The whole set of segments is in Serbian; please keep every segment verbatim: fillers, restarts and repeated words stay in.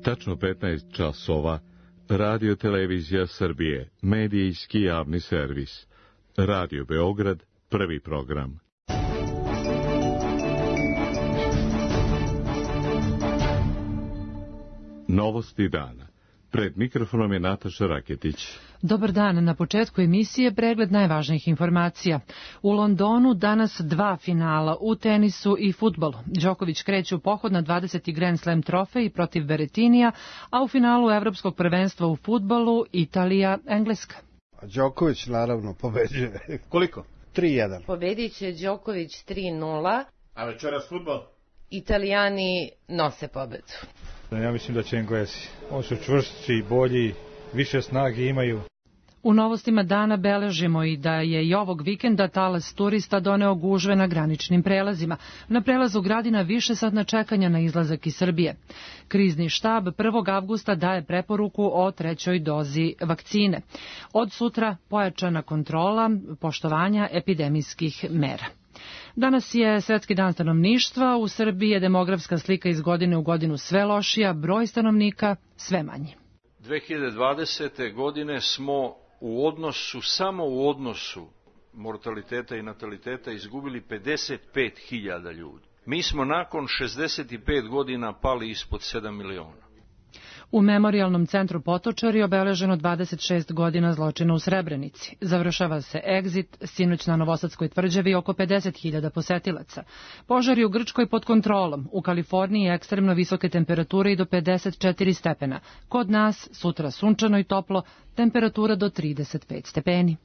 Tačno petnaest časova, Radio Televizija Srbije, medijski javni servis. Radio Beograd, prvi program. Novosti dana. Pred mikrofonom je Nataša Raketić. Dobar dan, na početku emisije pregled najvažnijih informacija. U Londonu danas dva finala u tenisu i fudbalu. Đoković kreće u pohod na dvadeseti Grand Slam trofej protiv Berettinija, a u finalu Evropskog prvenstva u fudbalu Italija-Engleska. Đoković naravno pobeđuje. Koliko? tri jedan. Pobedit će Đoković tri nula. A večeras fudbal? Italijani nose pobedu. Ja mislim da će Englezi. Oni su čvršći, bolji, više snage imaju. U novostima dana beležimo i da je i ovog vikenda talas turista doneo gužve na graničnim prelazima. Na prelazu Gradina više satna čekanja na izlazak iz Srbije. Krizni štab prvog avgusta daje preporuku o trećoj dozi vakcine. Od sutra pojačana kontrola poštovanja epidemijskih mera. Danas je Svetski dan stanovništva, u Srbiji je demografska slika iz godine u godinu sve lošija, broj stanovnika sve manji. dve hiljade dvadesete. godine smo u odnosu, samo u odnosu mortaliteta i nataliteta izgubili pedeset pet hiljada ljudi. Mi smo nakon šezdeset pet godina pali ispod sedam miliona. U Memorijalnom centru Potočari obeleženo dvadeset šest godina zločina u Srebrenici. Završava se egzit, sinoć na Novosadskoj tvrđavi oko pedeset hiljada posetilaca. Požari u Grčkoj pod kontrolom, u Kaliforniji ekstremno visoke temperature i do pedeset četiri stepena. Kod nas sutra sunčano i toplo, temperatura do trideset pet stepeni.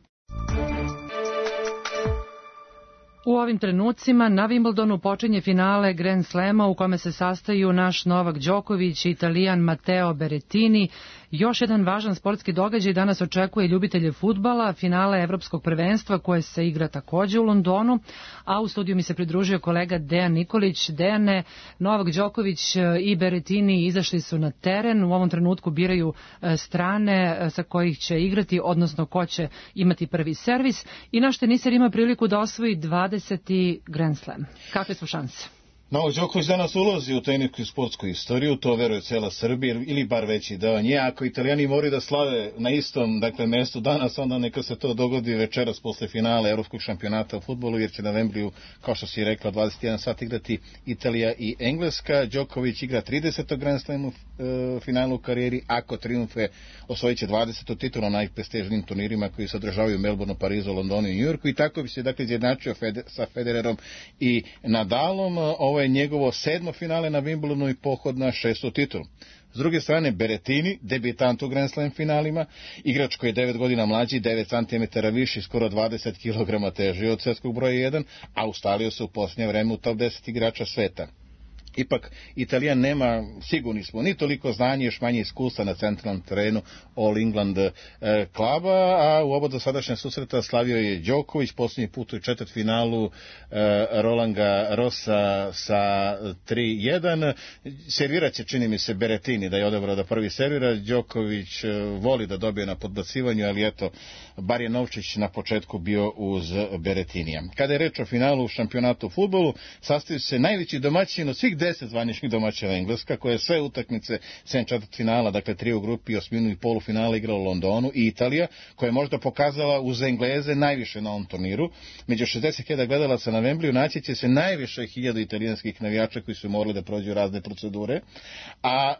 U ovim trenucima na Wimbledonu počinje finale Grand Slema u kome se sastaju naš Novak Đoković i Italijan Matteo Berettini. Još jedan važan sportski događaj danas očekuje ljubitelje fudbala, finale Evropskog prvenstva koje se igra takođe u Londonu, a u studiju mi se pridružio kolega Dejan Nikolić. Dejane, Novak Đoković i Berettini izašli su na teren, u ovom trenutku biraju strane sa kojih će igrati, odnosno ko će imati prvi servis, i naš teniser ima priliku da osvoji dvadeseti Grand Slam. Kakve su šanse? Novak Đoković danas ulazi u tenisku sportsku istoriju, to veruje cela Srbija, ili bar veći deo nje. Ako Italijani moraju da slave na istom, dakle, mestu danas, onda neka se to dogodi večeras posle finala Evropskog šampionata u fudbalu, jer će na Wembleyu, kao što si rekla, dvadeset jedan sat igrati Italija i Engleska. Đoković igra trideseto Grand Slam u e, finalu u karijeri, ako triumfe osvojit će dvadesetu titulu na najprestižnijim turnirima koji se održavaju u Melbourneu, Parizu, Londonu i Njujorku, i tako bi se, dakle, izjednačio Fede, sa Federerom i Nadalom. Ovo je njegovo sedmo finale na Wimbledonu i pohod na šestu titulu. S druge strane, Berettini, debitant u Grand Slam finalima, igrač koji je devet godina mlađi, devet centimetara viši, skoro dvadeset kilograma teži od svetskog broja jedan, a ustalio se u posljednje vreme u top deset igrača sveta. Ipak, Italijan nema, sigurni smo, ni toliko znanje, još manje iskustva na centralnom terenu All England e, klaba, a u oba dosadašnja susreta slavio je Đoković, posljednji put u četvrtfinalu e, Roland Garrosa sa tri jedan. Servirat će, čini mi se, Berettini da je odabrao da prvi servira. Đoković e, voli da dobije na podbacivanju, ali eto, bar je Novčić na početku bio uz Berettinija. Kada je reč o finalu u šampionatu u fudbalu, sastaju se najveći domaćin od svih deset zvaničnih domaćina Engleska, koje sve utakmice sem četvrtfinala, dakle tri u grupi, osminu i polufinala igrala u Londonu, i Italija, koja je možda pokazala uz Engleze najviše na ovom turniru. Među šezdeset hiljada gledalaca na Wembleyu naći će se najviše hiljada italijanskih navijača koji su morali da prođu razne procedure, a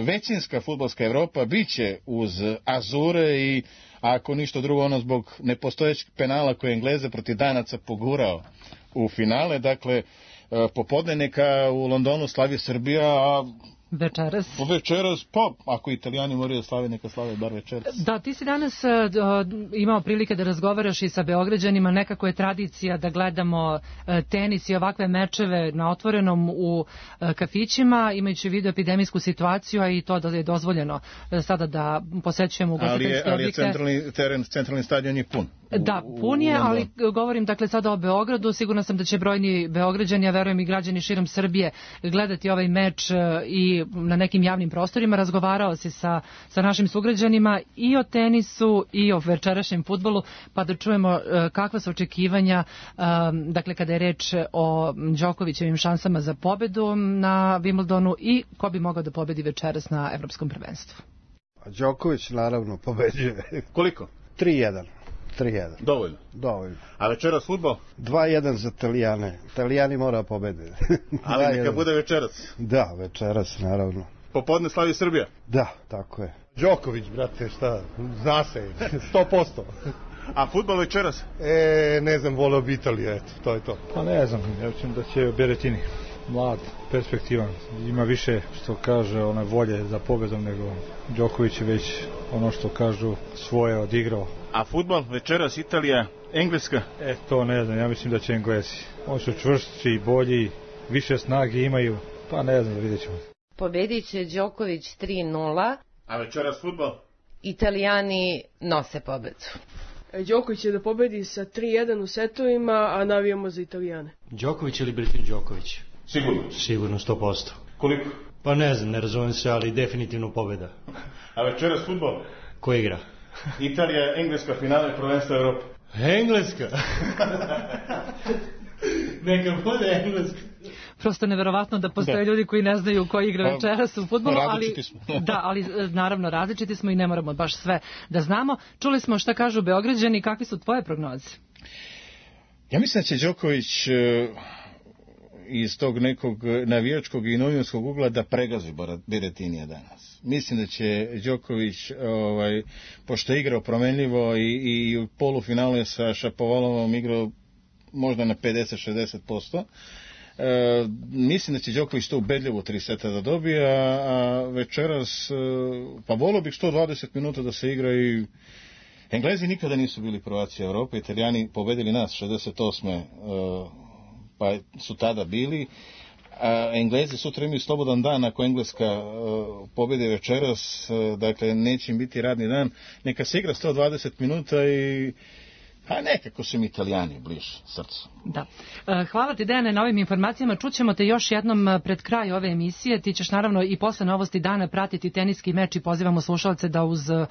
većinska fudbalska Evropa biće uz Azure i, ako ništa drugo, ono zbog nepostojećeg penala koje Engleze protiv Danaca pogurao u finale. Dakle, popodne neka u Londonu slavi Srbija, a večeras. Večeras, pa ako Italijani moraju da slave, neka slave bar večeras. Da, ti si danas uh, imao prilike da razgovaraš i sa Beograđanima, nekako je tradicija da gledamo uh, tenis i ovakve mečeve na otvorenom u uh, kafićima, imajući vidu epidemijsku situaciju, a i to da je dozvoljeno uh, sada da posećujemo ugostiteljske objekte. Ali je, ali je centralni, teren, centralni stadion je pun. Da, pun je, ali govorim dakle sada o Beogradu. Sigurno sam da će brojni Beograđani, a verujem i građani širom Srbije, gledati ovaj meč i na nekim javnim prostorima. Razgovarao se sa, sa našim sugrađanima i o tenisu i o večerašnjem fudbalu, pa da čujemo kakva su očekivanja, dakle kada je reč o Đokovićevim šansama za pobedu na Wimbledonu i ko bi mogao da pobedi večeras na Evropskom prvenstvu. Đoković naravno pobeđuje. Koliko? tri jedan. tri jedan. Dovoljno. Dovoljno. A večeras fudbal? dva jedan za Italijane. Italijani mora pobede. Ali neka bude večeras. Da, večeras naravno. Popodne slavi Srbija? Da, tako je. Đoković, brate, šta, zna se, sto posto. A fudbal večeras? E, ne znam, voleo bi Italija, eto, to je to. Pa ne znam, ja mislim da će Berettini, mlad, perspektivan, ima više, što kaže, one volje za pobedom, nego Đoković je već, ono što kažu, svoje odigrao. A fudbal večeras Italija, Engleska? E, to ne znam, ja mislim da će Englesi. Oni su čvršći, bolji, više snage imaju, pa ne znam, vidjet ćemo. Pobedit će Đoković tri nula. A večeras fudbal? Italijani nose pobedu. Đoković će da pobedi sa tri jedan u setovima, a navijamo za Italijane. Đoković ili Berrettini Đoković? Sigurno? Sigurno, sto posto. Koliko? Pa ne znam, ne razumem se, ali definitivno pobeda. A večeras fudbal? Ko igra? Italija, Engleska, finale prvenstva Evrope. Engleska? Neka bude Engleska. Prosto neverovatno da postoje da. ljudi koji ne znaju ko igra večeras u fudbalu, ali da, ali naravno različiti smo i ne moramo baš sve da znamo. Čuli smo šta kažu Beograđani, kakve su tvoje prognoze? Ja mislim da će Đoković iz tog nekog navijačkog i novinarskog ugla da pregazi Berettinija danas. Mislim da će Đoković, ovaj, pošto je igrao promenljivo i, i u polufinalu je sa Šapovalovom igrao možda na pedeset do šezdeset posto. E, mislim da će Đoković to ubedljivo tri seta da dobije, a, a večeras pa volio bih sto dvadeset minuta da se igra i Englezi nikada nisu bili prvaci Evrope, Italijani pobedili nas šezdeset osme. E, pa su tada bili, a Englezi sutra imaju slobodan dan ako Engleska e, pobedi večeras, e, dakle neće im biti radni dan, neka se igra sto dvadeset minuta i a nekako su mi Italijani bliže srcu. Da. Hvala ti, Dejane, na ovim informacijama. Čućemo te još jednom pred kraj ove emisije. Ti ćeš naravno i posle novosti dana pratiti teniski meč i pozivamo slušalce da uz uh,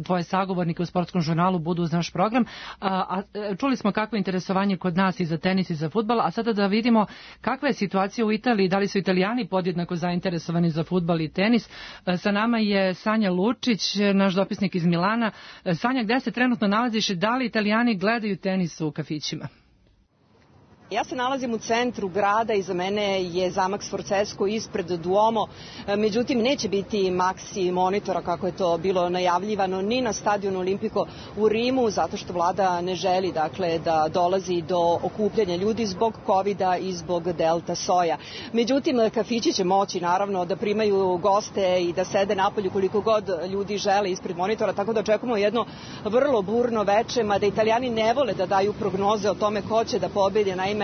tvoje sagovornike u sportskom žurnalu budu uz naš program. A, a čuli smo kakvo je interesovanje kod nas i za tenis i za fudbal, a sada da vidimo kakva je situacija u Italiji, da li su Italijani podjednako zainteresovani za fudbal i tenis. Sa nama je Sanja Lučić, naš dopisnik iz Milana. Sanja, gde se trenutno nalaziš i da li Italijani gledaju tenis u kafićima? Ja se nalazim u centru grada, iza mene je zamak Sforzesco ispred Duomo, međutim neće biti Maxi monitora kako je to bilo najavljivano ni na stadionu Olimpico u Rimu, zato što vlada ne želi dakle, da dolazi do okupljanja ljudi zbog kovida i zbog delta soja. Međutim, kafići će moći naravno da primaju goste i da sede napolju koliko god ljudi žele ispred monitora, tako da očekujemo jedno vrlo burno veče, mada Italijani ne vole da daju prognoze o tome ko će da pobedi. Naime,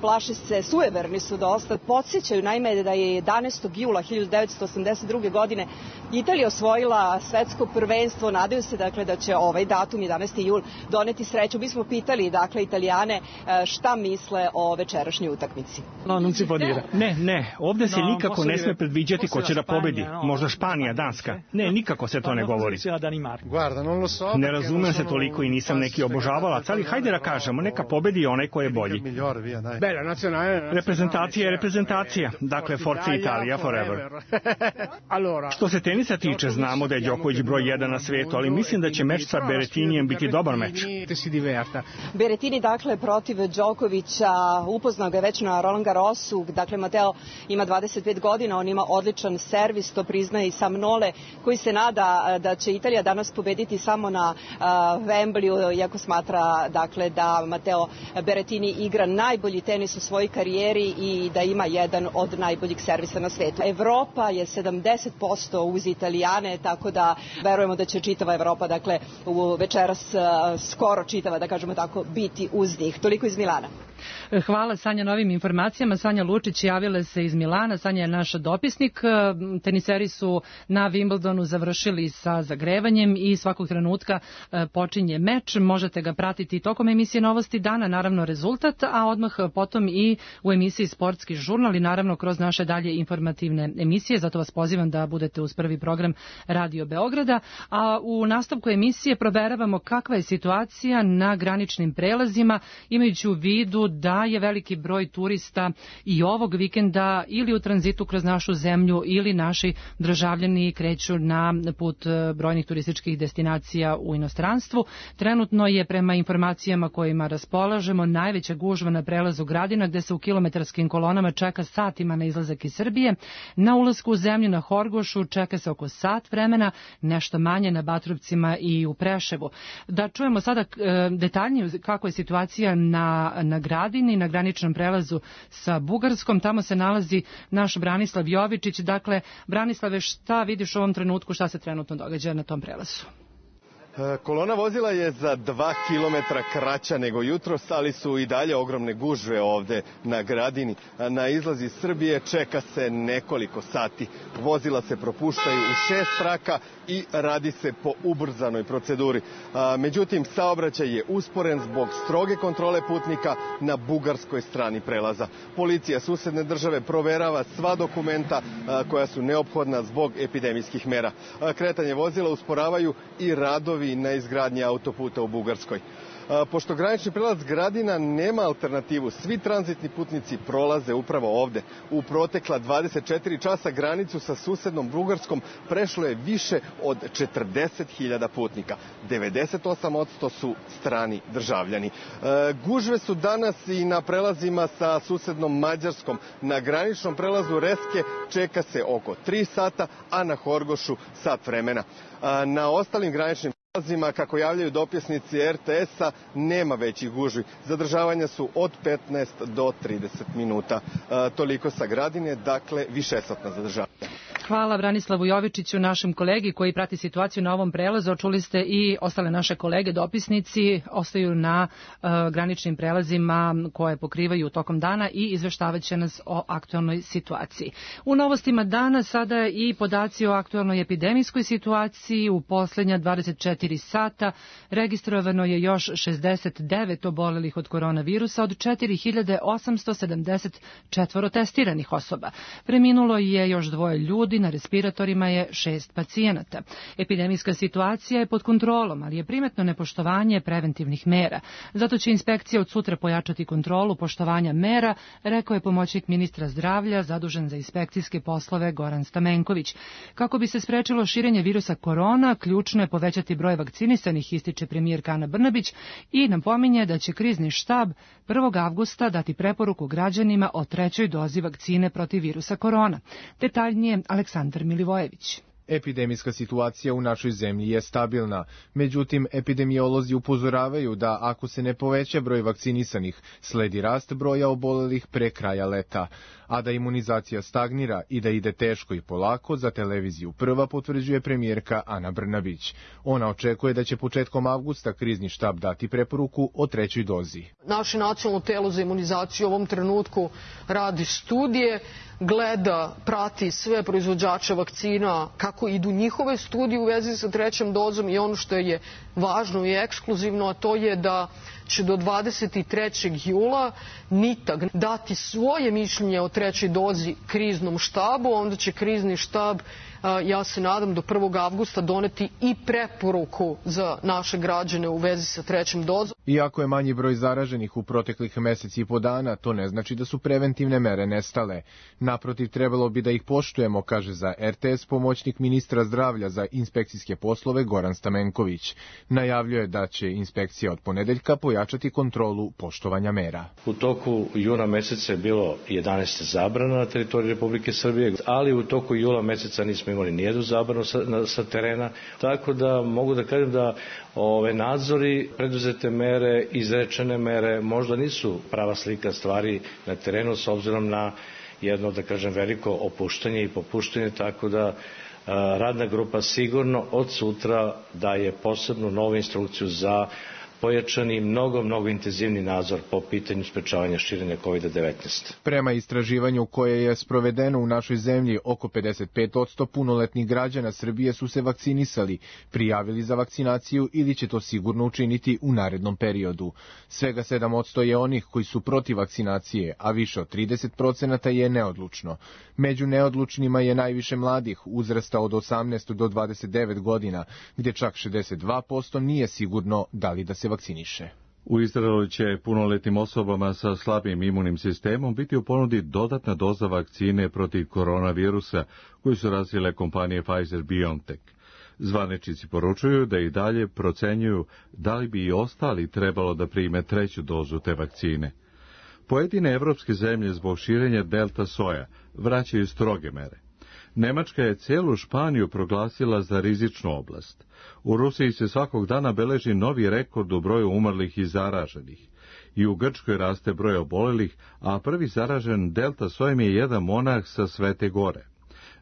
plaše se, sujeverni su dosta, podsjećaju naime da je jedanaestog jula hiljadu devetsto osamdeset druge godine Italija osvojila svetsko prvenstvo, nadaju se dakle da će ovaj datum jedanaesti jul doneti sreću. Mi smo pitali dakle Italijane šta misle o večerašnjoj utakmici. No, non si può dire. Ne, ne, ovde se nikako ne sme predviđati ko će da pobedi. Možda Španija, Danska. Ne, nikako se to ne govori. Ne razumem se toliko i nisam neki obožavalac, ali hajde da kažemo, neka pobedi onaj ko je bolji. Reprezentacija je reprezentacija. Dakle, Forza Italia forever. Što se tenisa tiče, znamo da je Đoković broj jedan na svetu, ali mislim da će meč sa Berettinijem biti dobar meč. Berettini, dakle, protiv Đokovića, upoznao ga već na Roland Garrosu. Dakle, Mateo ima dvadeset pet godina, on ima odličan servis, to priznaje i Sam Nole, koji se nada da će Italija danas pobediti samo na Wembleyu, iako smatra, dakle, da Mateo Berettini igra najbolji tenis u svojoj karijeri i da ima jedan od najboljih servisa na svetu. Evropa je sedamdeset posto uz Italijane, tako da verujemo da će čitava Evropa, dakle, u večeras skoro čitava, da kažemo tako, biti uz njih. Toliko iz Milana. Hvala Sanja na ovim informacijama. Sanja Lučić javila se iz Milana. Sanja je naš dopisnik. Teniseri su na Wimbledonu završili sa zagrevanjem i svakog trenutka počinje meč. Možete ga pratiti tokom emisije Novosti dana, naravno rezultat, a odmah potom i u emisiji Sportski žurnal i naravno kroz naše dalje informativne emisije. Zato vas pozivam da budete uz prvi program Radio Beograda. A u nastavku emisije proveravamo kakva je situacija na graničnim prelazima, imajući u vidu da je veliki broj turista i ovog vikenda ili u tranzitu kroz našu zemlju ili naši državljani kreću na put brojnih turističkih destinacija u inostranstvu. Trenutno je prema informacijama kojima raspolažemo najveća gužva na prelazu Gradina gde se u kilometarskim kolonama čeka satima na izlazak iz Srbije. Na ulasku u zemlju na Horgošu čeka se oko sat vremena, nešto manje na Batrovcima i u Preševu. Da čujemo sada detaljnije kako je situacija na, na Gradini, na graničnom prelazu sa Bugarskom. Tamo se nalazi naš Branislav Jovičić. Dakle, Branislave, šta vidiš u ovom trenutku, šta se trenutno događa na tom prelazu? Kolona vozila je za dva kilometra kraća nego jutros, ali su i dalje ogromne gužve ovde na Gradini. Na izlazi iz Srbije čeka se nekoliko sati. Vozila se propuštaju u šest traka i radi se po ubrzanoj proceduri. Međutim, saobraćaj je usporen zbog stroge kontrole putnika na bugarskoj strani prelaza. Policija susedne države proverava sva dokumenta koja su neophodna zbog epidemijskih mera. Kretanje vozila usporavaju i radovi na izgradnji autoputa u Bugarskoj. Pošto granični prelaz Gradina nema alternativu, svi tranzitni putnici prolaze upravo ovde. U protekla dvadeset četiri časa granicu sa susednom Bugarskom prešlo je više od četrdeset hiljada putnika. devedeset osam posto su strani državljani. Gužve su danas i na prelazima sa susednom Mađarskom. Na graničnom prelazu Reske čeka se oko tri sata, a na Horgošu sat vremena. Na ostalim graničnim prelazima, kako javljaju dopisnici er te es-a, nema većih gužvi. Zadržavanja su od petnaest do trideset minuta. Toliko sa Gradine, dakle višesatna zadržavanja. Hvala Branislavu Jovičiću, našem kolegi koji prati situaciju na ovom prelazu. Čuli ste i ostale naše kolege, dopisnici, ostaju na uh, graničnim prelazima koje pokrivaju tokom dana i izveštavaće nas o aktualnoj situaciji. U novostima dana sada i podaci o aktualnoj epidemijskoj situaciji. U poslednja dvadeset četiri sata registrovano je još šezdeset devet obolelih od koronavirusa od četiri hiljade osamsto sedamdeset četvoro testiranih osoba. Preminulo je još dvoje ljudi, na respiratorima je šest pacijenata. Epidemijska situacija je pod kontrolom, ali je primetno nepoštovanje preventivnih mera. Zato će inspekcija od sutra pojačati kontrolu poštovanja mera, rekao je pomoćnik ministra zdravlja zadužen za inspekcijske poslove Goran Stamenković. Kako bi se sprečilo širenje virusa korona, ključno je povećati broj vakcinisanih, ističe premijerka Ana Brnabić i napominje da će krizni štab prvog avgusta dati preporuku građanima o trećoj dozi vakcine protiv virusa korona. Detaljnije Aleksandar Milivojević. Epidemijska situacija u našoj zemlji je stabilna, međutim epidemiolozi upozoravaju da ako se ne poveća broj vakcinisanih, sledi rast broja obolelih pre kraja leta, a da imunizacija stagnira i da ide teško i polako, za televiziju Prva potvrđuje premijerka Ana Brnabić. Ona očekuje da će početkom avgusta krizni štab dati preporuku o trećoj dozi. Naše nacionalno telo za imunizaciju u ovom trenutku radi studije, gleda, prati sve proizvođače vakcina, kako idu njihove studije u vezi sa trećom dozom i ono što je važno i ekskluzivno, a to je da će do dvadeset trećeg jula NITAG dati svoje mišljenje o trećoj dozi kriznom štabu, onda će krizni štab, ja se nadam, do prvog avgusta doneti i preporuku za naše građane u vezi sa trećom dozom. Iako je manji broj zaraženih u proteklih meseci i po dana, to ne znači da su preventivne mere nestale. Naprotiv, trebalo bi da ih poštujemo, kaže za er te es pomoćnik ministra zdravlja za inspekcijske poslove Goran Stamenković. Najavljuje da će inspekcija od ponedeljka pojačati kontrolu poštovanja mera. U toku juna meseca je bilo jedanaest zabrana na teritoriji Republike Srbije, ali u toku jula meseca nismo imali nijednu zabranu sa, na, sa terena, tako da mogu da kažem da ove nadzori, preduzete mere, izrečene mere možda nisu prava slika stvari na terenu s obzirom na jedno, da kažem, veliko opuštanje i popuštanje, tako da radna grupa sigurno od sutra daje posebnu novu instrukciju za pojačani mnogo, mnogo intenzivni nadzor po pitanju sprečavanja širenja kovid devetnaest. Prema istraživanju koje je sprovedeno u našoj zemlji, oko pedeset pet posto punoletnih građana Srbije su se vakcinisali, prijavili za vakcinaciju ili će to sigurno učiniti u narednom periodu. Svega sedam posto je onih koji su protiv vakcinacije, a više od trideset procenata je neodlučno. Među neodlučnima je najviše mladih, uzrasta od osamnaest do dvadeset devet godina, gdje čak šezdeset dva posto nije sigurno da li da se vakciniše. U Izraelu će punoletnim osobama sa slabim imunim sistemom biti u ponudi dodatna doza vakcine protiv koronavirusa koju su razvile kompanije Pfizer-BioNTech. Zvaničnici poručuju da i dalje procenjuju da li bi i ostali trebalo da prime treću dozu te vakcine. Pojedine evropske zemlje zbog širenja delta soja vraćaju stroge mere. Nemačka je celu Španiju proglasila za rizičnu oblast. U Rusiji se svakog dana beleži novi rekord u broju umrlih i zaraženih. I u Grčkoj raste broj obolelih, a prvi zaražen delta sojem je jedan monah sa Svete Gore.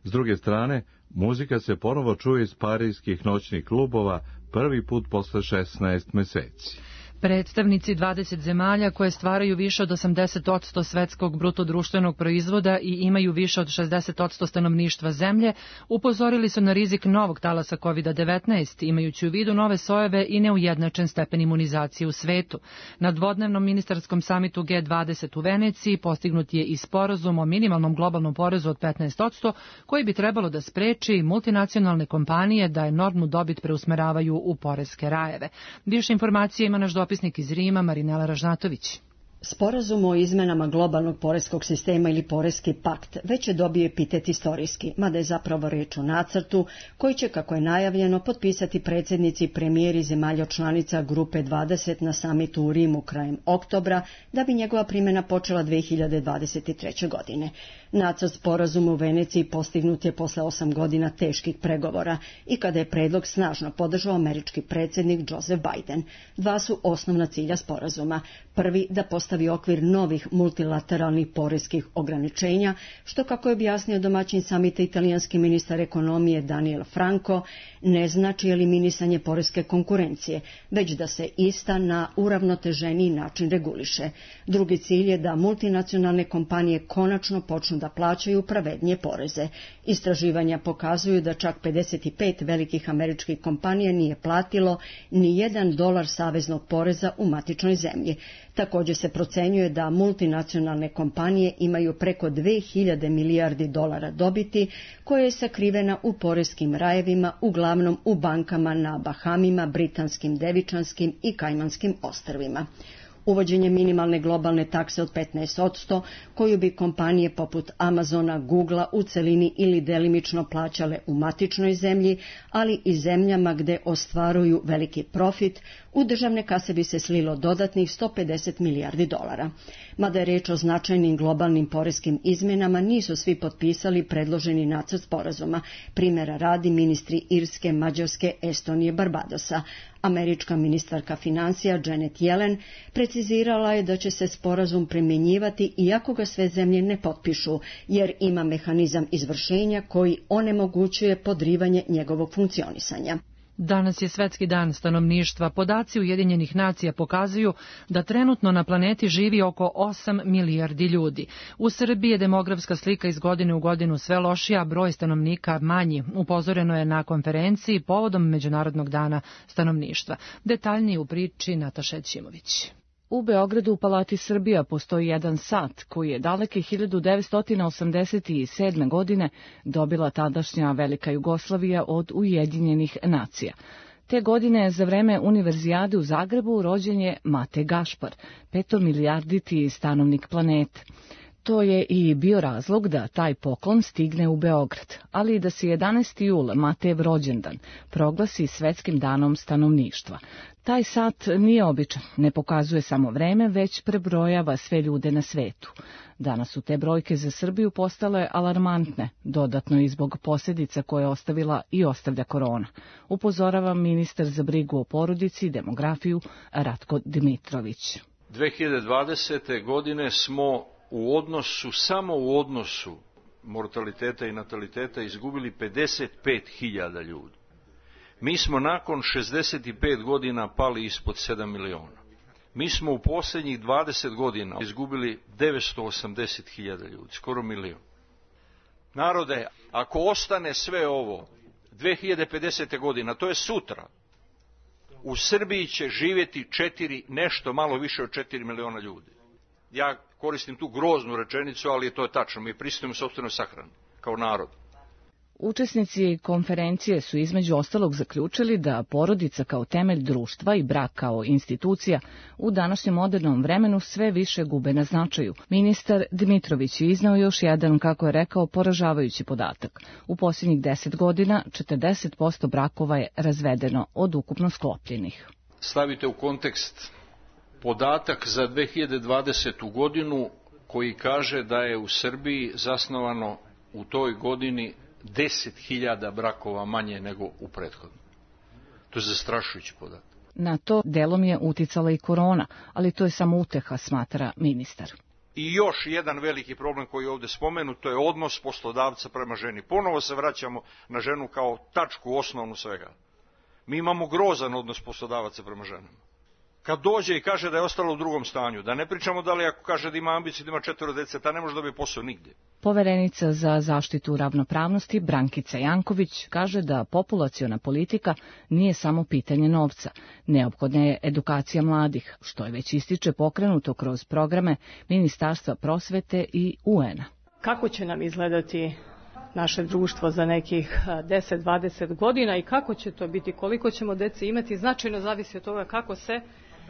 S druge strane, muzika se ponovo čuje iz parijskih noćnih klubova prvi put posle šesnaest meseci. Predstavnici dvadeset zemalja koje stvaraju više od osamdeset posto svetskog bruto društvenog proizvoda i imaju više od šezdeset posto stanovništva zemlje upozorili su na rizik novog talasa kovid devetnaest, imajući u vidu nove sojeve i neujednačen stepen imunizacije u svetu. Na dvodnevnom ministarskom samitu G dvadeset u Veneciji postignut je i sporazum o minimalnom globalnom porezu od petnaest posto koji bi trebalo da spreči multinacionalne kompanije da enormnu dobit preusmeravaju u poreske rajeve. Više informacije ima naš dopisnik iz Rima, Marinela Ražnatović. Sporazum o izmenama globalnog poreskog sistema ili poreski pakt već je dobio epitet istorijski, mada je zapravo reč o nacrtu koji će, kako je najavljeno, potpisati predsjednici i premijeri zemalja članica Grupe dvadeset na samitu u Rimu krajem oktobra, da bi njegova primjena počela dve hiljade dvadeset treće. godine. Nacrt sporazuma u Veneciji postignut je posle osam godina teških pregovora i kada je predlog snažno podržao američki predsjednik Joseph Biden. Dva su osnovna cilja sporazuma. Prvi, da postavi okvir novih multilateralnih poreskih ograničenja, što, kako je objasnio domaćin samita italijanski ministar ekonomije Daniel Franco, ne znači eliminisanje poreske konkurencije, već da se ista na uravnoteženiji način reguliše. Drugi cilj je da multinacionalne kompanije konačno počnu da plaćaju pravednije poreze. Istraživanja pokazuju da čak pedeset pet velikih američkih kompanija nije platilo ni jedan dolar saveznog poreza u matičnoj zemlji. Također se procenjuje da multinacionalne kompanije imaju preko dve hiljade milijardi dolara dobiti, koja je sakrivena u poreskim rajevima, uglavnom u bankama na Bahamima, Britanskim, Devičanskim i Kajmanskim ostrvima. Uvođenje minimalne globalne takse od petnaest posto, koju bi kompanije poput Amazona, Googlea u celini ili delimično plaćale u matičnoj zemlji, ali i zemljama gde ostvaruju veliki profit, u državne kase bi se slilo dodatnih sto pedeset milijardi dolara. Mada je reč o značajnim globalnim poreskim izmenama, nisu svi potpisali predloženi nacrt sporazuma. Primjera radi ministri Irske, Mađarske, Estonije, Barbadosa. Američka ministarka financija Janet Yellen precizirala je da će se sporazum primjenjivati iako ga sve zemlje ne potpišu, jer ima mehanizam izvršenja koji onemogućuje podrivanje njegovog funkcionisanja. Danas je Svetski dan stanovništva. Podaci Ujedinjenih nacija pokazuju da trenutno na planeti živi oko osam milijardi ljudi. U Srbiji je demografska slika iz godine u godinu sve lošija, broj stanovnika manji. Upozoreno je na konferenciji povodom Međunarodnog dana stanovništva. Detaljnije u priči Nataša Ćimović. U Beogradu u Palati Srbija postoji jedan sat koji je daleke hiljadu devetsto osamdeset sedme. godine dobila tadašnja Velika Jugoslavija od Ujedinjenih nacija. Te godine za vreme Univerzijade u Zagrebu rođen je Mate Gašpar, petomilijarditi stanovnik planete. To je i bio razlog da taj poklon stigne u Beograd, ali i da se jedanaesti jul, Matejev rođendan, proglasi Svetskim danom stanovništva. Taj sat nije običan, ne pokazuje samo vreme, već prebrojava sve ljude na svetu. Danas su te brojke za Srbiju postale alarmantne, dodatno i zbog posljedica koje je ostavila i ostavlja korona. Upozorava ministar za brigu o porodici i demografiju Ratko Dmitrović. dve hiljade dvadesete. godine smo u odnosu, samo u odnosu mortaliteta i nataliteta izgubili pedeset pet hiljada ljudi. Mi smo nakon šezdeset pet godina pali ispod sedam miliona. Mi smo u posljednjih dvadeset godina izgubili devetsto osamdeset hiljada ljudi, skoro milion. Narode, ako ostane sve ovo dve hiljade pedesete godine, to je sutra, u Srbiji će živjeti četiri, nešto malo više od četiri miliona ljudi. Ja koristim tu groznu rečenicu, ali to je tačno. Mi pristupimo sopstvenoj sahrani kao narod. Učesnici konferencije su između ostalog zaključili da porodica kao temelj društva i brak kao institucija u današnjem modernom vremenu sve više gube na značaju. Ministar Dmitrović je iznao još jedan, kako je rekao, poražavajući podatak. U posljednjih deset godina četrdeset posto brakova je razvedeno od ukupno sklopljenih. Stavite u kontekst podatak za dve hiljade dvadesetu godinu koji kaže da je u Srbiji zasnovano u toj godini deset hiljada brakova manje nego u prethodnom. To je zastrašujući podatak. Na to delom je uticala i korona, ali to je samo uteha, smatra ministar. I još jedan veliki problem koji je ovdje spomenut, to je odnos poslodavca prema ženi. Ponovo se vraćamo na ženu kao tačku osnovnu svega. Mi imamo grozan odnos poslodavaca prema ženama. Kad dođe i kaže da je ostalo u drugom stanju, da ne pričamo da li ako kaže da ima ambiciju, da ima četvoro dece, ta ne može dobiti posao nigdje. Poverenica za zaštitu ravnopravnosti Brankica Janković kaže da populaciona politika nije samo pitanje novca. Neophodna je edukacija mladih, što je već ističe pokrenuto kroz programe Ministarstva prosvete i U N-a. Kako će nam izgledati naše društvo za nekih deset do dvadeset godina i kako će to biti, koliko ćemo dece imati, značajno zavisi od toga kako se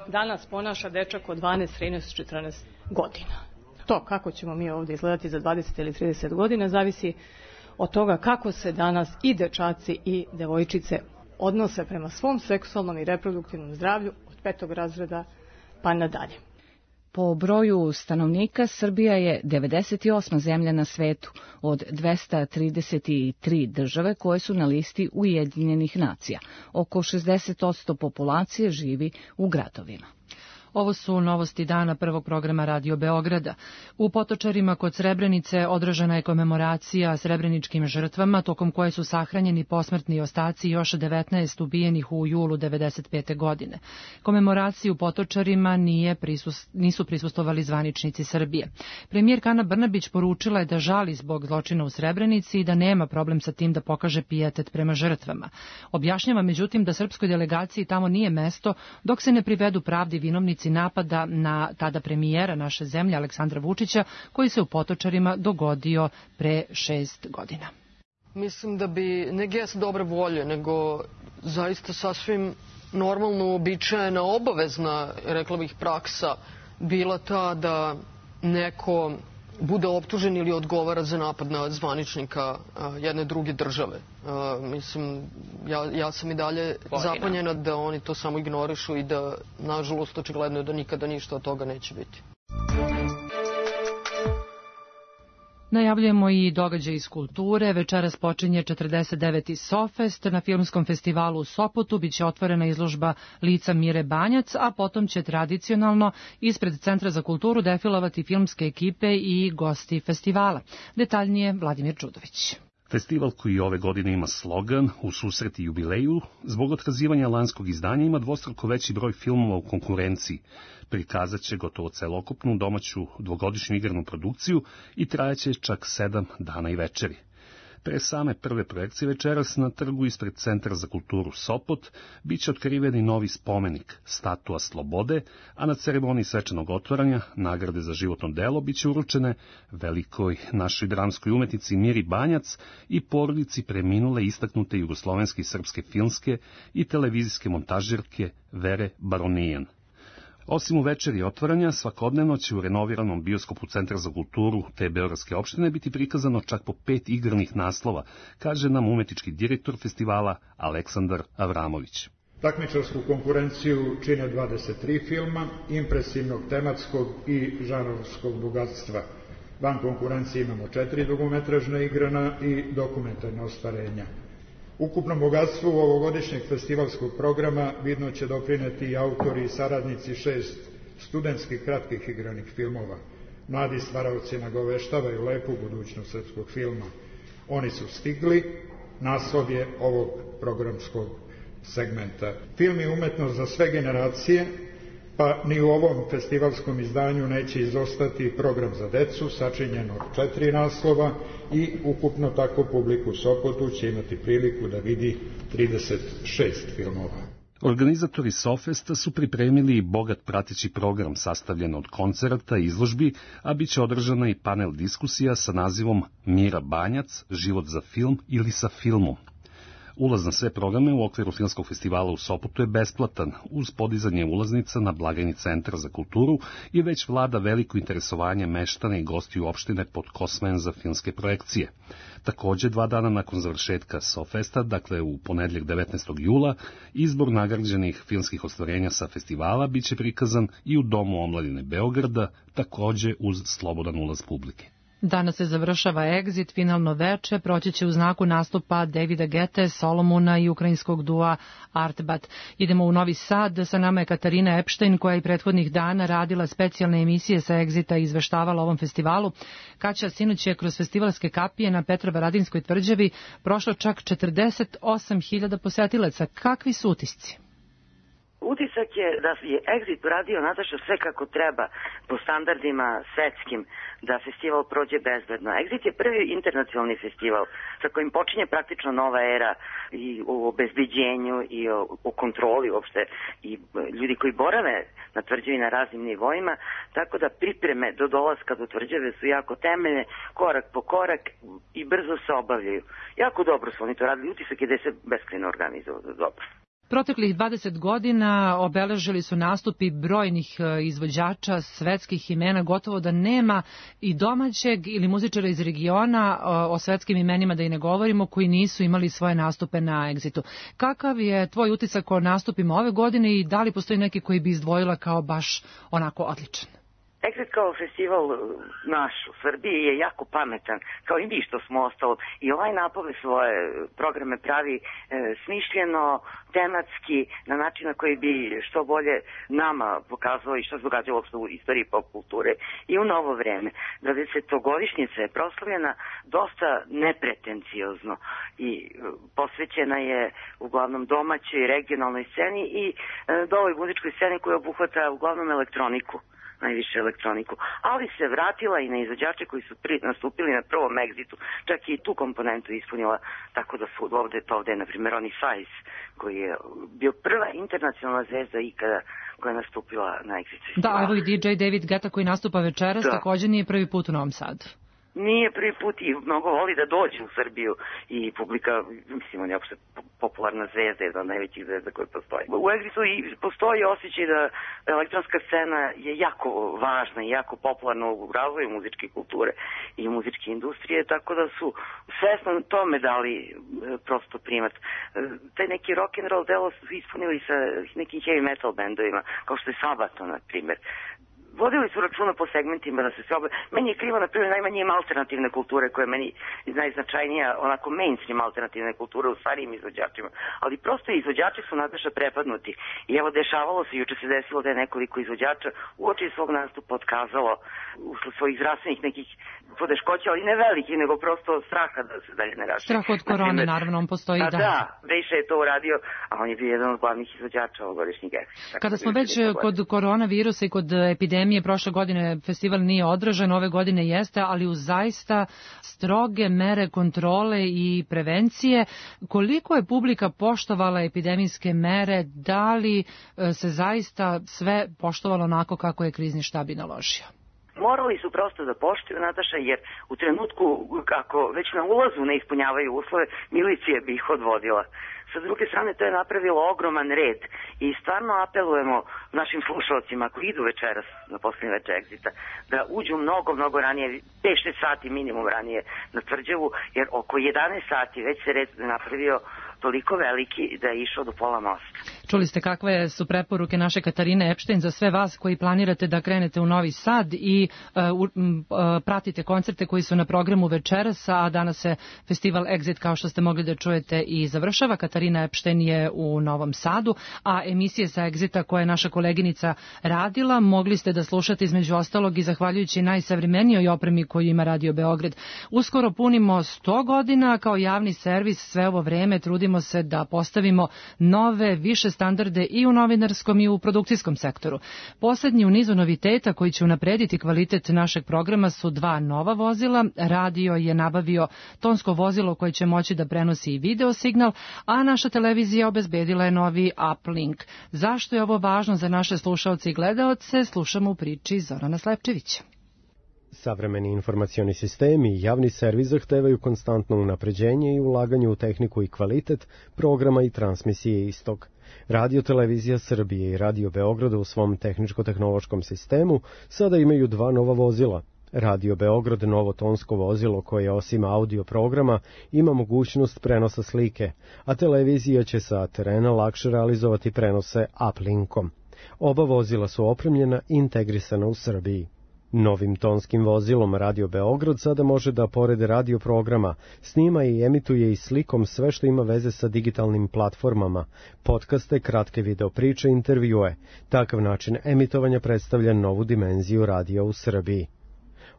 danas ponaša dečak od dvanaest, trinaest, četrnaest godina. To kako ćemo mi ovdje izgledati za dvadeset ili trideset godina zavisi od toga kako se danas i dečaci i devojčice odnose prema svom seksualnom i reproduktivnom zdravlju od petog razreda pa nadalje. Po broju stanovnika Srbija je devedeset osma zemlja na svetu od dvesta trideset tri države koje su na listi Ujedinjenih nacija. Oko šezdeset posto populacije živi u gradovima. Ovo su novosti dana prvog programa Radio Beograda. U Potočarima kod Srebrenice održana je komemoracija srebreničkim žrtvama, tokom koje su sahranjeni posmrtni ostaci još devetnaest ubijenih u julu devedeset pete. godine. Komemoraciji u Potočarima nije prisus, nisu prisustvovali zvaničnici Srbije. Premijerka Ana Brnabić poručila je da žali zbog zločina u Srebrenici i da nema problem sa tim da pokaže pijetet prema žrtvama. Objašnjava međutim da srpskoj delegaciji tamo nije mesto dok se ne privedu pravdi vinovnici napada na tada premijera naše zemlje Aleksandra Vučića koji se u Potočarima dogodio pre šest godina. Mislim da bi ne gest dobre volje, nego zaista sasvim normalno uobičajena obavezna, rekla bih, praksa bila ta da neko bude optužen ili odgovara za napad na zvaničnika jedne druge države. Mislim, ja, ja sam i dalje zapanjena da oni to samo ignorišu i da, nažalost, očigledno je da nikada ništa od toga neće biti. Najavljujemo i događaj iz kulture. Večeras počinje četrdeset deveti Sofest. Na filmskom festivalu u Sopotu biće otvorena izložba lica Mire Banjac, a potom će tradicionalno ispred Centra za kulturu defilovati filmske ekipe i gosti festivala. Detaljnije Vladimir Čudović. Festival koji ove godine ima slogan u susret i jubileju, zbog otkazivanja lanskog izdanja ima dvostruko veći broj filmova u konkurenciji. Prikazat će gotovo celokupnu domaću dvogodišnju igranu produkciju i trajaće čak sedam dana i večeri. Pre same prve projekcije večeras na trgu ispred Centra za kulturu Sopot biće otkriveni novi spomenik, statua slobode, a na ceremoniji svečanog otvaranja nagrade za životno delo biće uručene velikoj našoj dramskoj umetnici Miri Banjac i porodici preminule istaknute jugoslovenske i srpske filmske i televizijske montažerke Vere Baronijan. Osim u večeri otvaranja, svakodnevno će u renoviranom bioskopu Centra za kulturu te beogradske opštine biti prikazano čak po pet igranih naslova, kaže nam umetnički direktor festivala Aleksandar Avramović. Takmičarsku konkurenciju čine dvadeset tri filma, impresivnog tematskog i žanrovskog bogatstva. Van konkurencije imamo četiri dugometražna igrana i dokumentarna ostvarenja. Ukupnom bogatstvu ovogodišnjeg festivalskog programa vidno će doprineti i autori i saradnici šest studentskih kratkih igranih filmova. Mladi stvaraoci nagoveštavaju lepu budućnost srpskog filma. Oni su stigli, naslov je ovog programskog segmenta. Film je umetnost za sve generacije, pa ni u ovom festivalskom izdanju neće izostati program za decu, sačinjen od četiri naslova i ukupno tako publiku u Sopotu će imati priliku da vidi trideset šest filmova. Organizatori SoFesta su pripremili bogat prateći program sastavljen od koncerata i izložbi, a bit će održana i panel diskusija sa nazivom Mira Banjac, život za film ili sa filmom. Ulaz na sve programe u okviru Filmskog festivala u Sopotu je besplatan, uz podizanje ulaznica na blagajni Centra za kulturu i već vlada veliko interesovanje meštana i gostiju opštine pod Kosmen za filmske projekcije. Takođe, dva dana nakon završetka SoFesta, dakle u ponedjeljak devetnaestog jula, izbor nagrađenih filmskih ostvarenja sa festivala biće prikazan i u Domu omladine Beograda, takođe uz slobodan ulaz publike. Danas se završava Exit, finalno veče, proći će u znaku nastupa Davida Gete, Solomona i ukrajinskog dua Artbat. Idemo u Novi Sad, sa nama je Katarina Epštajn, koja je prethodnih dana radila specijalne emisije sa Exita i izveštavala o ovom festivalu. Kaća, sinoć je kroz festivalske kapije na Petrovaradinskoj tvrđavi prošlo čak četrdeset osam hiljada posetilaca. Kakvi su utisci? Utisak je da je Exit uradio, Nataša, sve kako treba po standardima svetskim da festival prođe bezbedno. Exit je prvi internacionalni festival sa kojim počinje praktično nova era i o obezbeđenju i o, o kontroli uopšte i ljudi koji borave na tvrđavi na raznim nivoima, tako da pripreme do dolaska do tvrđave su jako temeljne, korak po korak i brzo se obavljaju. Jako dobro su oni to radili, utisak je da je se beskrajno organizovano dobro. Proteklih dvadeset godina obeležili su nastupi brojnih izvođača, svetskih imena, gotovo da nema i domaćeg ili muzičara iz regiona, o svetskim imenima da i ne govorimo, koji nisu imali svoje nastupe na Exitu. Kakav je tvoj utisak o nastupima ove godine i da li postoji neki koji bi izdvojila kao baš onako odličan? Exit kao festival naš u Srbiji je jako pametan, kao i mi što smo ostalo. I ovaj napove svoje programe pravi e, smišljeno, tematski, na način na koji bi što bolje nama pokazalo i što se događalo u istoriji pop kulture i u novo vreme. dvadesetogodišnjica je proslavljena dosta nepretenciozno i posvećena je uglavnom domaćoj regionalnoj sceni i e, dovoj muzičkoj sceni koja obuhvata uglavnom elektroniku. najviše elektroniku, ali se vratila i na izvođače koji su pri, nastupili na prvom Exitu, čak i tu komponentu ispunila, tako da su ovde, to ovde je, na primjer, Ronnie Fies, koji je bio prva internacionalna zvezda ikada koja je nastupila na Exitu. Da, evo i D J David Guetta koji nastupa večeras, da. Također nije prvi put u Novom Sadu. Nije prvi put i mnogo voli da dođe u Srbiju i publika, mislim, on je opšte popularna zvezda, jedna od najvećih zvezda koje postoji. U Exitu postoji osjećaj da elektronska scena je jako važna i jako popularna u razvoju muzičke kulture i muzičke industrije, tako da su svesno tome dali prosto primat. Taj neki rock and roll delo su ispunili sa nekim heavy metal bendovima, kao što je Sabaton, na primjer. Vodili su računa po segmentima da se sve obe... Meni je krivo, na primjer, najmanje ima alternativne kulture, koja je meni najznačajnija, onako mainstream alternativne kulture u starijim izvođačima. Ali prosto izvođači su, Nataša, prepadnuti. I evo, dešavalo se, juče se desilo da je nekoliko izvođača uoči svog nastupa otkazalo usled svojih zdravstvenih nekih podeškoća, ali ne velikih, nego prosto straha da se dalje ne raši. Strah od korone, naravno, on postoji i da. Da, Vejša je to uradio, a on je bio jedan od glavnih izvođača ovogodišnjeg Exita. Kada smo već kod koronavirusa i kod epidemije, prošle godine festival nije održan, ove godine jeste, ali uz zaista stroge mere kontrole i prevencije. Koliko je publika poštovala epidemijske mere, da li se zaista sve poštovalo onako kako je krizni štab i naložio? Morali su prosto da poštuju, Nataša, jer u trenutku kako već na ulazu ne ispunjavaju uslove, milicija bi ih odvodila. Sa druge strane, to je napravilo ogroman red i stvarno apelujemo našim slušalcima ako idu večeras na posljednji večer Exita da uđu mnogo, mnogo ranije, pet šest sati minimum ranije na tvrđavu, jer oko jedanaest sati već se red napravio toliko veliki da je išao do pola mosta. Čuli ste kakve su preporuke naše Katarine Epštajn za sve vas koji planirate da krenete u Novi Sad i uh, uh, pratite koncerte koji su na programu večeras, a danas se festival Exit, kao što ste mogli da čujete, i završava. Katarina Epštajn je u Novom Sadu, a emisije sa Exita koje je naša koleginica radila mogli ste da slušate između ostalog i zahvaljujući najsavremenijoj opremi koju ima Radio Beograd. Uskoro punimo sto godina kao javni servis. Sve ovo vreme trudimo se da postavimo nove, više standarde i u novinarskom i u produkcijskom sektoru. Poslednji u nizu noviteta koji će unaprediti kvalitet našeg programa su dva nova vozila. Radio je nabavio tonsko vozilo koje će moći da prenosi i video signal, a naša televizija obezbedila je novi uplink. Zašto je ovo važno za naše slušaoce i gledaoce, slušamo u priči Zorana Slepčevića. Savremeni informacioni sistemi i javni servis zahtevaju konstantno unapređenje i ulaganje u tehniku i kvalitet programa i transmisije istog. Radio Televizija Srbije i Radio Beograda u svom tehničko-tehnološkom sistemu sada imaju dva nova vozila. Radio Beograd novo tonsko vozilo koje osim audio programa ima mogućnost prenosa slike, a televizija će sa terena lakše realizovati prenose uplinkom. Oba vozila su opremljena i integrisana u Srbiji. Novim tonskim vozilom Radio Beograd sada može da, pored radio programa, snima i emituje i slikom sve što ima veze sa digitalnim platformama, podcaste, kratke videopriče, intervjue. Takav način emitovanja predstavlja novu dimenziju radija u Srbiji.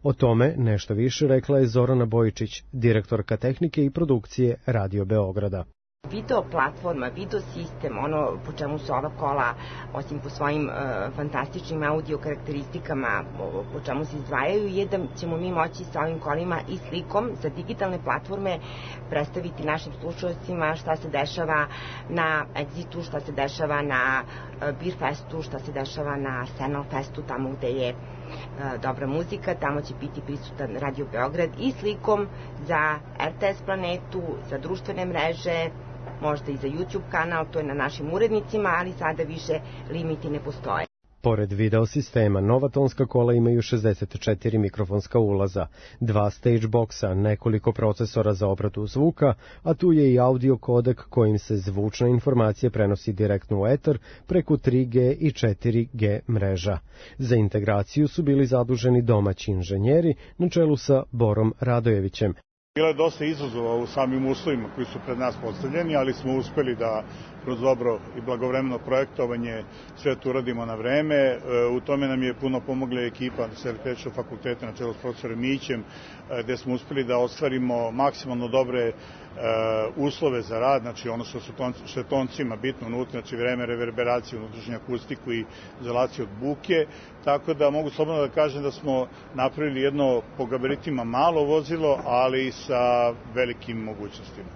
O tome nešto više rekla je Zorana Bojičić, direktorka tehnike i produkcije Radio Beograda. Video platforma, video sistem, ono po čemu su ova kola, osim po svojim e, fantastičnim audio karakteristikama, po čemu se izdvajaju, je da ćemo mi moći sa ovim kolima i slikom za digitalne platforme predstaviti našim slušalcima šta se dešava na Exitu, šta se dešava na e, Beer Festu, šta se dešava na Senal Festu, tamo gde je e, dobra muzika, tamo će biti prisutan Radio Beograd i slikom za R T S Planetu, za društvene mreže, možda i za YouTube kanal, to je na našim urednicima, ali sada više limiti ne postoje. Pored video sistema, nova tonska kola imaju šezdeset četiri mikrofonska ulaza, dva stage boxa, nekoliko procesora za obradu zvuka, a tu je i audio kodek kojim se zvučna informacija prenosi direktno u etar preko tri G i četiri G mreža. Za integraciju su bili zaduženi domaći inženjeri na čelu sa Borom Radojevićem. Bilo je dosta izazova u samim uslovima koji su pred nas postavljeni, ali smo uspeli da kroz dobro i blagovremeno projektovanje sve to uradimo na vreme. U tome nam je puno pomogla ekipa Selektričkog fakulteta na čelu s profesorom Mićem, gde smo uspeli da ostvarimo maksimalno dobre uslove za rad, znači ono što, su ton, što je toncima bitno unutra, znači vreme reverberacije, unutrašnju akustiku i izolaciju od buke, tako da mogu slobodno da kažem da smo napravili jedno po gabaritima malo vozilo, ali sa velikim mogućnostima.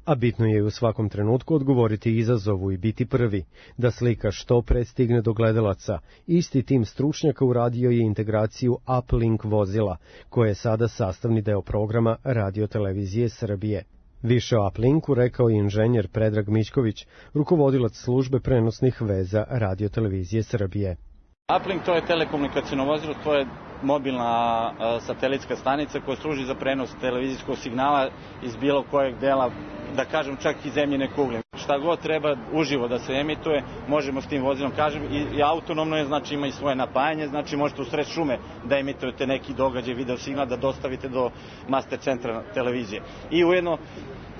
A bitno je u svakom trenutku odgovoriti izazovu i biti prvi, da slika što pre stigne do gledalaca. Isti tim stručnjaka uradio je integraciju uplink vozila, koje je sada sastavni deo programa Radio Televizije Srbije. Više o uplinku rekao je inženjer Predrag Mićković, rukovodilac službe prenosnih veza Radio Televizije Srbije. Uplink to je telekomunikacijno vozilo, to je mobilna a, satelitska stanica koja služi za prenos televizijskog signala iz bilo kojeg dela, da kažem čak i zemljine kugle. Šta god treba uživo da se emituje, možemo s tim vozilom, kažem, i, i autonomno je, znači ima i svoje napajanje, znači možete u sred šume da emitujete neki događaj, video signal, da dostavite do master centra televizije. I ujedno,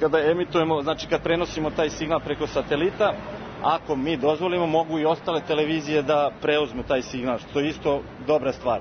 kada emitujemo, znači kad prenosimo taj signal preko satelita, ako mi dozvolimo, mogu i ostale televizije da preuzmu taj signal, što je isto dobra stvar.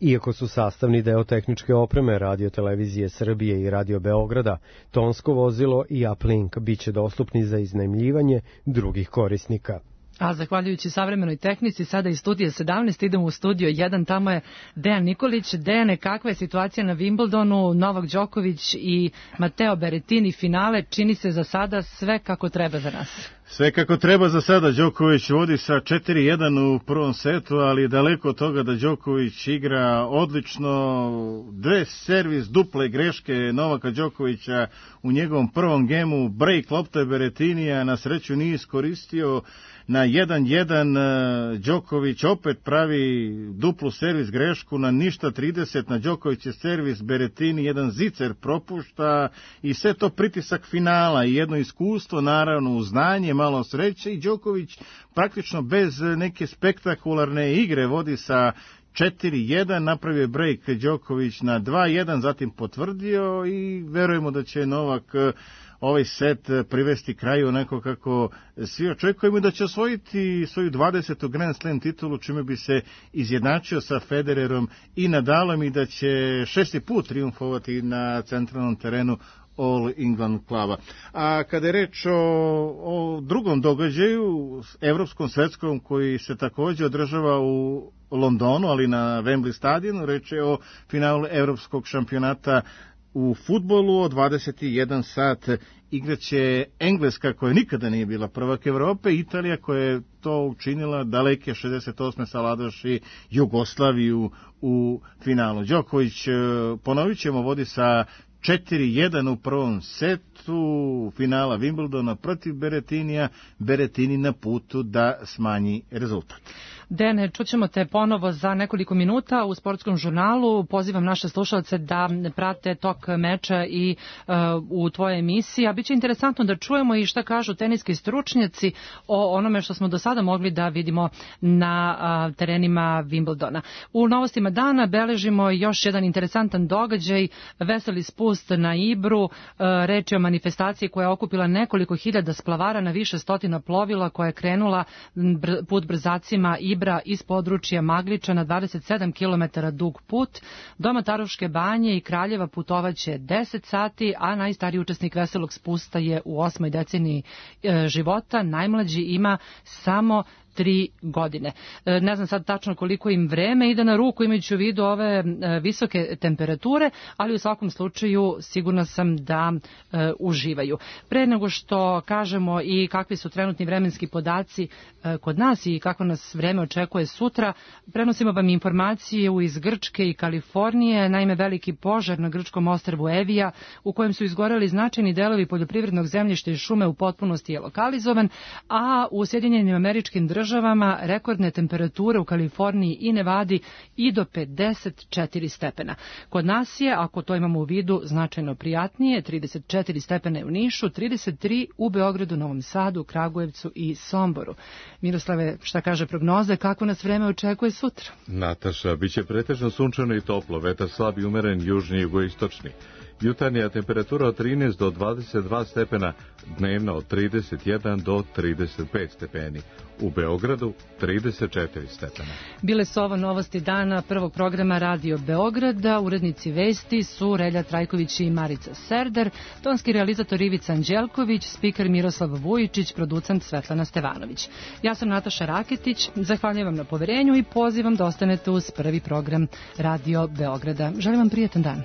Iako su sastavni deo tehničke opreme Radio Televizije Srbije i Radio Beograda, tonsko vozilo i uplink biće dostupni za iznajmljivanje drugih korisnika. A zahvaljujući savremenoj tehnici, sada iz studija sedamnaest idemo u studio jedan, tamo je Dejan Nikolić. Dejane, kakva je situacija na Wimbledonu, Novak Đoković i Mateo Berrettini finale, čini se za sada sve kako treba za nas? Sve kako treba za sada. Đoković vodi sa četiri jedan u prvom setu, ali daleko od toga da Đoković igra odlično. Dve servis duple greške Novaka Đokovića u njegovom prvom gemu, break lopte Berrettinija na sreću nije iskoristio. Na jedan jedan Đoković opet pravi duplu servis grešku, na ništa trideset na Đokovićev servis, Berrettini jedan zicer propušta i sve to pritisak finala i jedno iskustvo, naravno, znanje, malo sreće i Đoković praktično bez neke spektakularne igre vodi sa četiri jedan, napravio je break Đoković na dva jedan, zatim potvrdio i verujemo da će Novak ovaj set privesti kraju onako kako svi očekujemo, da će osvojiti svoju dvadesetu Grand Slam titulu, čime bi se izjednačio sa Federerom i Nadalom i da će šesti put triumfovati na centralnom terenu All England kluba. A kada je reč o, o drugom događaju, evropskom svetskom, koji se također održava u Londonu, ali na Wembley stadionu, reč je o finalu evropskog šampionata u fudbalu. Od dvadeset jedan sat igraće Engleska, koja nikada nije bila prvak Evrope, Italija koja je to učinila daleke šezdeset osme savladavši Jugoslaviju u finalu. Đoković, ponovit ćemo, vodi sa četiri jedan u prvom setu finala Wimbledona protiv Berettinija. Berettini na putu da smanji rezultat. Dene, čućemo te ponovo za nekoliko minuta u sportskom žurnalu. Pozivam naše slušalce da prate tok meča i uh, u tvojoj emisiji. A biće interesantno da čujemo i šta kažu teniski stručnjaci o onome što smo do sada mogli da vidimo na uh, terenima Wimbledona. U novostima dana beležimo još jedan interesantan događaj, veseli spust na Ibru. Uh, reč je o manifestaciji koja je okupila nekoliko hiljada splavara na više stotina plovila, koja je krenula br- put brzacima Ibra iz područja Magliča na dvadeset sedam kilometara dug put. Do Mataruške banje i Kraljeva putovaće deset sati, a najstariji učesnik veselog spusta je u osmoj deceniji e, života. Najmlađi ima samo tri godine. Ne znam sad tačno koliko im vreme ide na ruku, imajući u vidu ove visoke temperature, ali u svakom slučaju sigurna sam da e, uživaju. Pre nego što kažemo i kakvi su trenutni vremenski podaci e, kod nas i kako nas vreme očekuje sutra, prenosimo vam informacije iz Grčke i Kalifornije. Naime, veliki požar na grčkom ostrvu Evija, u kojem su izgoreli značajni delovi poljoprivrednog zemljišta i šume, u potpunosti je lokalizovan, a u Sjedinjenim Američkim Državama državama rekordne temperature u Kaliforniji i Nevadi i do pedeset četiri stepena. Kod nas je, ako to imamo u vidu, značajno prijatnije, trideset četiri stepena u Nišu, trideset tri u Beogradu, Novom Sadu, Kragujevcu i Somboru. Miroslave, šta kaže prognoza, kako nas vreme očekuje sutra? Nataša, bit će pretežno sunčano i toplo, vetar slab i umeren, južni i jugoistočni. Jutarnja temperatura od trinaest do dvadeset dva stepena, dnevna od trideset jedan do trideset pet stepeni. U Beogradu trideset četiri stepena. Bile su ovo novosti dana prvog programa Radio Beograda. Urednici vesti su Relja Trajković i Marica Serdar, tonski realizator Ivica Anđelković, spiker Miroslav Vujičić, producent Svetlana Stevanović. Ja sam Nataša Raketić, zahvaljujem vam na poverenju i pozivam da ostanete uz prvi program Radio Beograda. Želim vam prijetan dan.